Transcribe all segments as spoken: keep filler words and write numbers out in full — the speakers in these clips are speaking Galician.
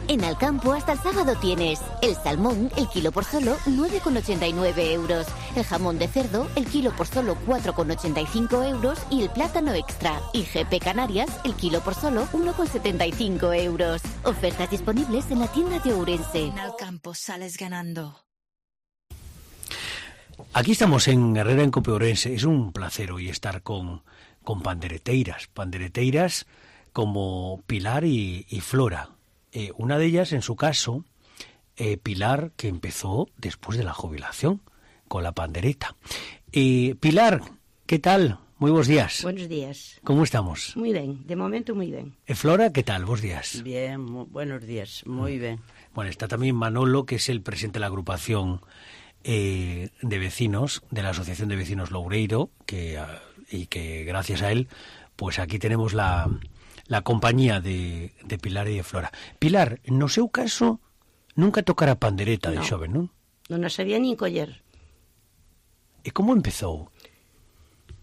En Alcampo hasta el sábado tienes el salmón, el kilo por solo nueve con ochenta y nueve euros, el jamón de cerdo, el kilo por solo cuatro con ochenta y cinco euros y el plátano extra. Y G P Canarias, el kilo por solo uno con setenta y cinco euros. Ofertas disponibles en la tienda de Ourense. En Alcampo sales ganando. Aquí estamos en Herrera en Cope Ourense. Es un placer hoy estar con, con pandereteiras, pandereteiras como Pilar y, y Flora. Eh, una de ellas, en su caso, eh, Pilar, que empezó después de la jubilación con la pandereta. Eh, Pilar, ¿qué tal? Muy buenos días. Buenos días. ¿Cómo estamos? Muy bien, de momento muy bien. Eh, Flora, ¿qué tal? Buenos días. Bien, muy, buenos días, muy mm. bien. Bueno, está también Manolo, que es el presidente de la agrupación eh, de vecinos, de la Asociación de Vecinos Loureiro, que, y que gracias a él, pues aquí tenemos la, la compañía de, de Pilar y de Flora. Pilar, no seu caso, nunca tocara pandereta de no, xove, non? Non a sabía nin coller. E como empezou?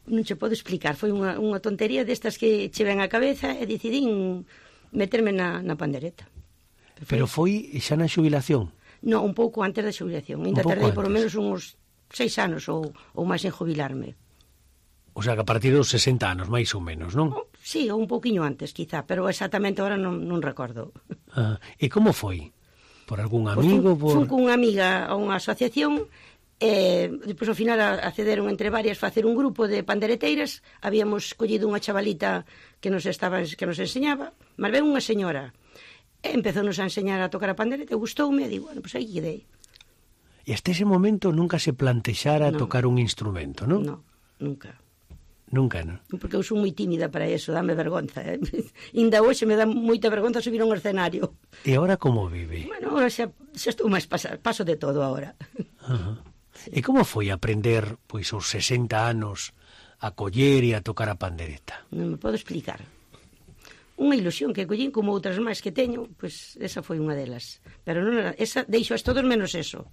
Non che podo explicar, foi unha, unha tontería destas que che ven á cabeza e decidín meterme na, na pandereta. Perfecto. Pero foi xa na xubilación? No, un pouco antes da xubilación. Ainda tardei por lo menos uns seis anos ou, ou máis en jubilarme. O sea, que a partir dos sesenta anos, máis ou menos, non? Oh, sí, ou un pouquiño antes, quizá, pero exactamente ahora non, non recordo. Ah, e como foi? Por algún amigo? Pues fun, por... fun cunha amiga a unha asociación e depois ao final accederon entre varias facer un grupo de pandereteiras. Habíamos collido unha chavalita que nos estaba que nos enseñaba, mas ven unha señora e empezounos a enseñar a tocar a pandereta e gustoume e digo, bueno, pois pues aí quedei. E hasta ese momento nunca se plantexara no. tocar un instrumento, non? No, nunca. Nunca, non? Porque eu sou moi tímida para eso, dame vergonza. Eh? Inda hoxe me dá moita vergonza subir a un escenario. E agora como vive? Bueno, agora xa, xa estou máis pasar, paso de todo agora. Uh-huh. Sí. E como foi aprender, pois, aos sesenta anos a coller e a tocar a pandereta? Non me podo explicar. Unha ilusión que collín como outras máis que teño, pois esa foi unha delas. Pero non era, esa deixo as todos menos eso.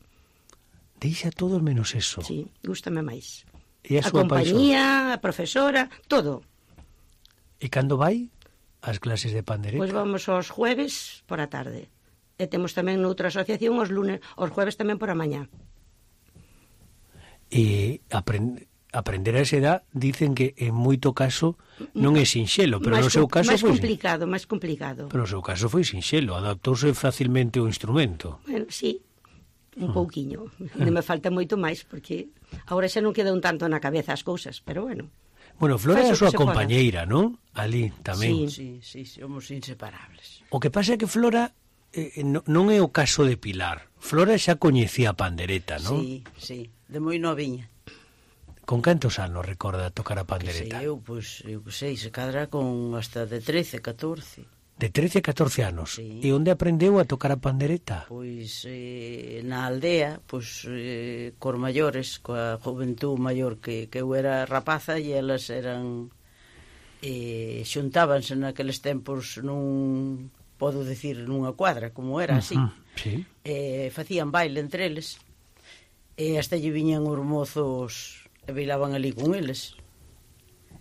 Deixa todos menos eso? Sí, gústame máis. E a, a súa compañía, paixón? A profesora, todo. E cando vai ás clases de pandereta? Pois vamos aos jueves por a tarde. E temos tamén noutra asociación os lunes, os jueves tamén por a mañá. E aprend... aprender a esa edad dicen que en moito caso non é sinxelo, pero máis, no seu caso máis foi complicado, máis complicado. Pero no seu caso foi sinxelo, adaptouse facilmente o instrumento. Bueno, sí, un uh. pouquiño. Non me falta moito máis porque agora xa non queda un tanto na cabeza as cousas, pero bueno. Bueno, Flora é a súa compañeira, non? Ali tamén. Sí, sí, sí, somos inseparables. O que pasa é que Flora eh, no, non é o caso de Pilar. Flora xa coñecía a pandereta, non? Sí, sí, de moi noviña. Con cantos anos recorda tocar a pandereta? Que sei eu, pois, eu que sei, se cadra con hasta de trece, catorce. De trece a catorce anos? Sí. E onde aprendeu a tocar a pandereta? Pois eh, na aldea, pois eh, cor maiores, coa juventud maior que, que eu era rapaza e elas eran eh, xuntábanse naqueles tempos nun, podo decir, nunha cuadra, como era así. Uh-huh, sí. Eh, facían baile entre eles e hasta lle viñan os mozos e bailaban ali con eles.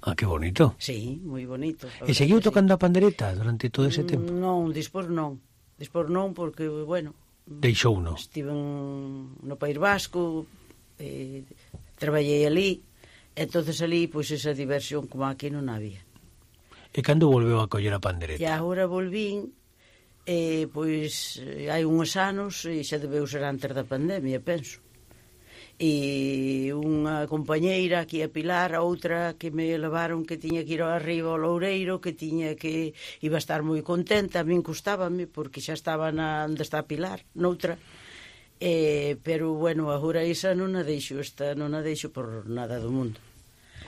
Ah, que bonito. Sí, moi bonito. E seguiu tocando sí. a pandereta durante todo ese tempo? Non, dispor non. Dispor non porque, bueno... Deixou non. Estiven no País Vasco, eh, traballei ali, e entonces ali, pois, esa diversión como aquí non había. E cando volveu a coller a pandereta? E agora volvín, eh, pois, hai uns anos, e xa debeu ser antes da pandemia, penso. E unha compañeira aquí a Pilar, a outra que me levaron que tiña que ir arriba ao Loureiro, que tiña que iba a estar moi contenta, a min custábame porque xa estaba na onde está Pilar, noutra. Eh, pero bueno, agora esa non a deixo, esta non a deixo por nada do mundo.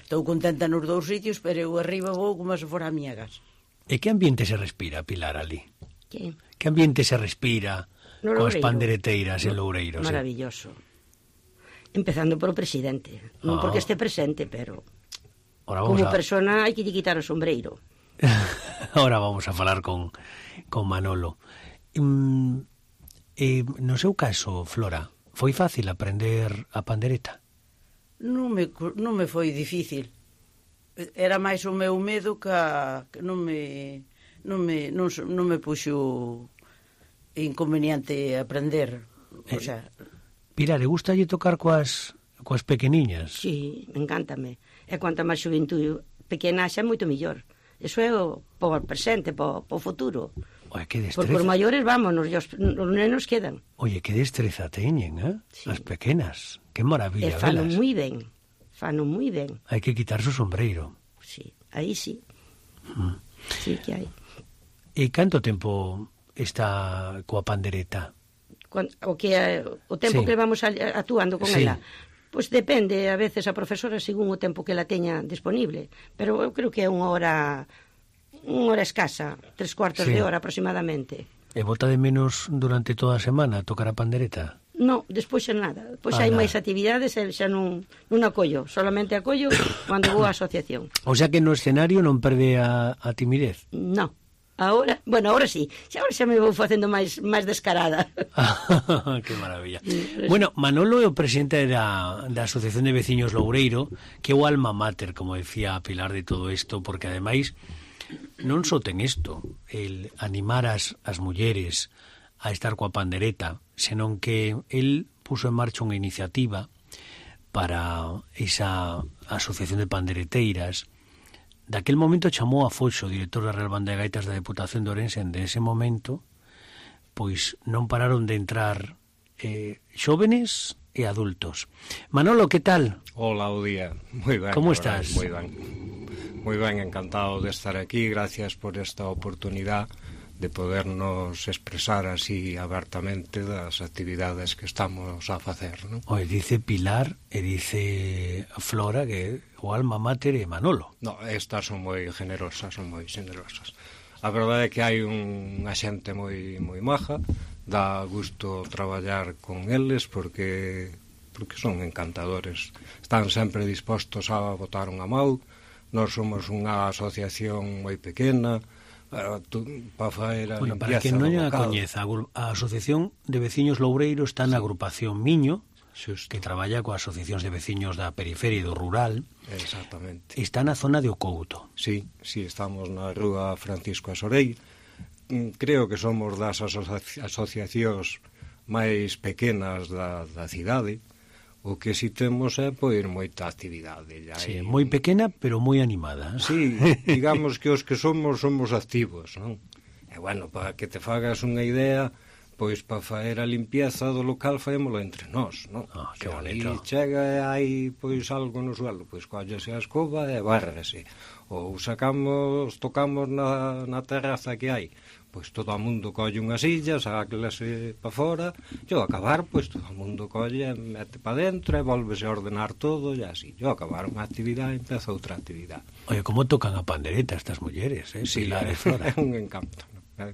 Estou contenta nos dous sitios, pero eu arriba vou como se fora a miña casa. E que ambiente se respira, Pilar, ali? Que? Que ambiente se respira no coas pandereteiras en Loureiro? Maravilloso. Sí. Empezando por o presidente, non oh. porque este presente, pero como a... persona hai que lle quitar o sombreiro. Ahora vamos a falar con, con Manolo. Mm, eh, no seu caso, Flora, foi fácil aprender a pandereta? Non me, non me foi difícil. Era máis o meu medo que, a, que non me non me non, non me puxo inconveniente aprender, o sea... Pilar, e gusta lle tocar coas, coas pequeniñas? Sí, encántame. E cuanta máis xuventude pequena xa é moito mellor. Eso é o por presente, por o futuro. Oye, que destreza. Porque os maiores, vámonos, e os, os nenos quedan. Oye, que destreza teñen, eh? Sí. As pequenas. Que maravilla, E fano velas. moi ben. Fano moi ben. Hai que quitarse o sombreiro. Sí, aí sí. Mm. Sí que hai. E canto tempo está coa pandereta? Cuando, o que é, o tempo Sí. que vamos a, actuando con Sí. ela. Pois depende, a veces a profesora según o tempo que la teña disponible, pero eu creo que é unha hora unha hora escasa, tres cuartos Sí. de hora aproximadamente. E bota de menos durante toda a semana tocar a pandereta? No, despois xa nada. Pois Ah, hai nada. máis actividades e xa non, non acollo, solamente acollo cando vou á asociación. O sea que no escenario non perde a, a timidez? No. Ahora, bueno, ahora sí. Xa ahora xa me vou facendo máis máis descarada. Que maravilla. Bueno, Manolo é o presidente da, da Asociación de Veciños Loureiro, que é o alma mater, como decía Pilar, de todo isto, porque ademais non só ten isto, el animar as, as mulleres a estar coa pandereta, senón que el puso en marcha unha iniciativa para esa asociación de pandereteiras. Daquel momento chamou a Foxo, director da Real Banda de Gaitas da Deputación de Ourense, en ese momento, pois non pararon de entrar eh, xóvenes e adultos. Manolo, que tal? Hola, o día. Moi ben. Como verdad, estás? Moi ben. Moi ben, encantado de estar aquí. Gracias por esta oportunidade de podernos expresar así abertamente das actividades que estamos a facer, non? Oye, dice Pilar e dice Flora que o alma mater é Manolo. No, estas son moi generosas, son moi generosas. A verdade é que hai unha xente moi moi maja, dá gusto traballar con eles porque porque son encantadores. Están sempre dispostos a botar unha mão. Nós somos unha asociación moi pequena, para faer a Bueno, para limpieza que non do a local. coñeza, a Asociación de Veciños Loureiro está na agrupación Miño, Xusto. que traballa coas asociacións de veciños da periferia e do rural. Exactamente. Está na zona de Ocouto. Sí, sí, estamos na rúa Francisco Asorei. Mm, Creo que somos das asocia asociacións máis pequenas da, da cidade. O que si temos é pois moita actividade. Ya Sí, hai... moi pequena, pero moi animada. Sí, digamos que os que somos, somos activos, non? E bueno, para que te fagas unha idea, pois para faer a limpieza do local faémolo entre nós, non? Ah, que Se bonito. ali chega e hai pois algo no suelo, pois collese a escoba e bárrese. Ou sacamos, tocamos na, na terraza que hai, pois todo o mundo colle unha silla, sáclase para fora, e ao acabar, pois todo o mundo colle, mete para dentro e volvese a ordenar todo, e así. E ao acabar unha actividade, empeza outra actividade. Oye, como tocan a pandereta estas mulleres, eh? Sí, Pilar é, e Flora. é un encanto, ¿no?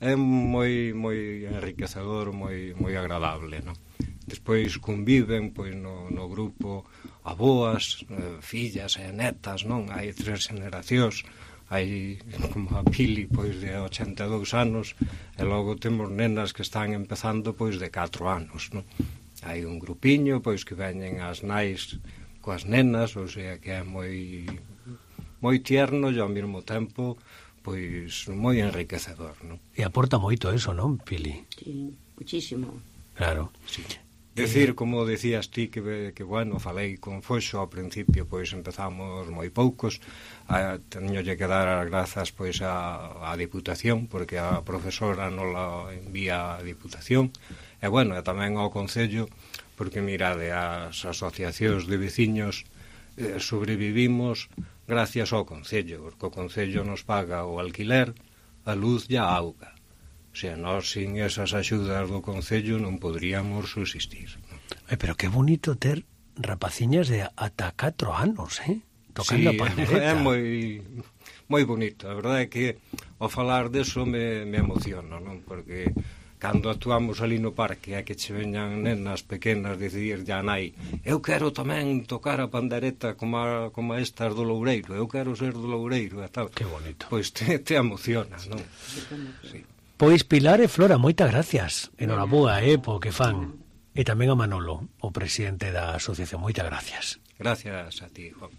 É moi moi enriquecedor, moi moi agradable, ¿no? Despois conviven pois no, no grupo aboas, eh, fillas e netas, non? Hai tres generacións, hai como a Pili pois de ochenta e dous anos e logo temos nenas que están empezando pois de catro anos, non? Hai un grupiño pois que veñen as nais coas nenas, ou sea que é moi moi tierno e ao mesmo tempo pois moi enriquecedor, non? E aporta moito eso, non, Pili? Sí, muchísimo. Claro. Sí. Decir, como decías ti, que, que bueno, falei con Foxo ao principio, pois empezamos moi poucos, a, teñolle que dar as grazas pois a, a Diputación, porque a profesora non la envía a Diputación, e bueno, e tamén ao Concello, porque mirade, as asociacións de veciños eh, sobrevivimos gracias ao Concello, porque o Concello nos paga o alquiler, a luz e a auga. O sea, nós sin esas axudas do Concello non poderíamos subsistir. Ay, pero qué bonito ter rapaciñas de ata catro anos, eh? Tocando Sí, a pandereta. é moi moi bonito. A verdade é que ao falar deso me, me emociono, non? Porque cando actuamos ali no parque é que che veñan nenas pequenas decidir ya nai, eu quero tamén tocar a pandereta como, a, como estas do Loureiro, eu quero ser do Loureiro e tal. Qué bonito. Pois te, te emocionas, non? Sí. Pois Pilar e Flora, moitas gracias. Enhoraboa, eh, po que fan. E tamén a Manolo, o presidente da asociación. Moitas gracias. Gracias a ti, Juan.